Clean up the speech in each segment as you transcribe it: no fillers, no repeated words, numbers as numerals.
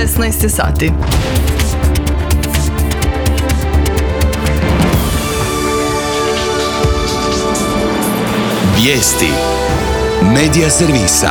16 sati. Vijesti Medija servisa.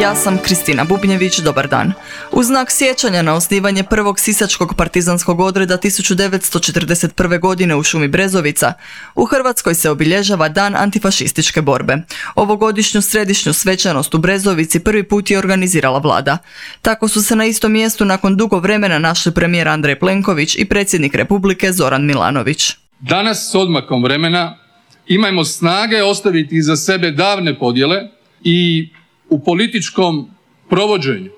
Ja sam Kristina Bubnjević, dobar dan. U znak sjećanja na osnivanje prvog sisačkog partizanskog odreda 1941. godine u šumi Brezovica, u Hrvatskoj se obilježava Dan antifašističke borbe. Ovogodišnju središnju svečanost u Brezovici prvi put je organizirala vlada. Tako su se na istom mjestu nakon dugo vremena našli premijer Andrej Plenković i predsjednik Republike Zoran Milanović. Danas s odmakom vremena imajmo snage ostaviti iza sebe davne podjele i u političkom provođenju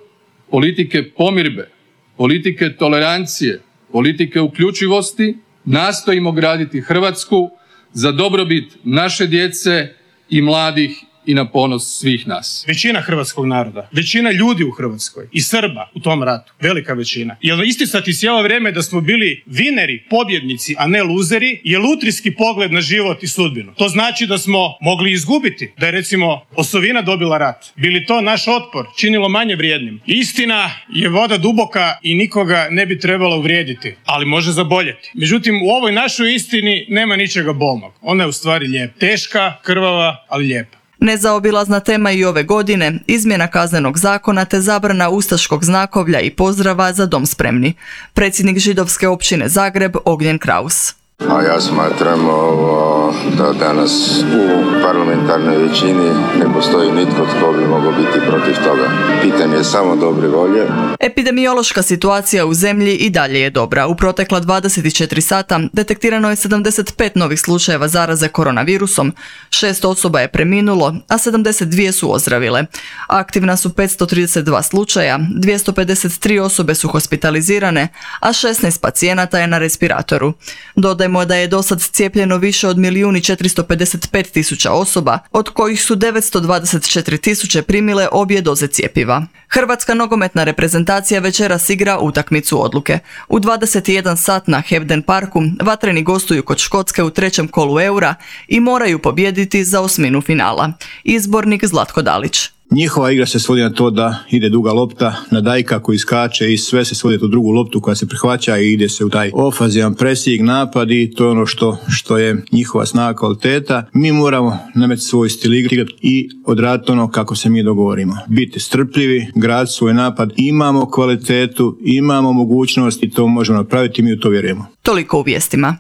politike pomirbe, politike tolerancije, politike uključivosti nastojimo graditi Hrvatsku za dobrobit naše djece i mladih i na ponos svih nas. Većina hrvatskog naroda, većina ljudi u Hrvatskoj i Srba u tom ratu, velika većina. Jer isticati cijelo vrijeme da smo bili vineri, pobjednici, a ne luzeri, je lutrijski pogled na život i sudbinu. To znači da smo mogli izgubiti, da je recimo osovina dobila rat. Bili to naš otpor činilo manje vrijednim. Istina je voda duboka i nikoga ne bi trebalo uvrijediti, ali može zaboljeti. Međutim, u ovoj našoj istini nema ničega bolnog. Ona je u stvari lijepa. Teška, krvava, ali lijepa. Nezaobilazna tema i ove godine, izmjena kaznenog zakona te zabrana ustaškog znakovlja i pozdrava za dom spremni. Predsjednik židovske općine Zagreb, Ognjen Kraus. A ja smatram da danas u parlamentarnoj većini ne postoji nitko tko bi mogao biti protiv toga. Pitanje je samo dobre volje. Epidemiološka situacija u zemlji i dalje je dobra. U protekla 24 sata detektirano je 75 novih slučajeva zaraze koronavirusom, 6 osoba je preminulo, a 72 su ozdravile. Aktivna su 532 slučaja, 253 osobe su hospitalizirane, a 16 pacijenata je na respiratoru. Dodajmo da je dosad cijepljeno više od 1.455.000 osoba, od kojih su 924.000 primile obje doze cjepiva. Hrvatska nogometna reprezentacija večeras igra utakmicu odluke. U 21 sat na Hebden parku vatreni gostuju kod Škotske u trećem kolu Eura i moraju pobijediti za osminu finala. Izbornik Zlatko Dalić. Njihova igra se svodi na to da ide duga lopta na Dajka koji skače i sve se svodi tu drugu loptu koja se prihvaća i ide se u taj ofazivan presing, napad i to je ono što je njihova snaga, kvaliteta. Mi moramo nametiti svoj stil igre i odraditi ono kako se mi dogovorimo. Biti strpljivi, graditi svoj napad, imamo kvalitetu, imamo mogućnost i to možemo napraviti i mi u to vjerujemo. Toliko u vijestima.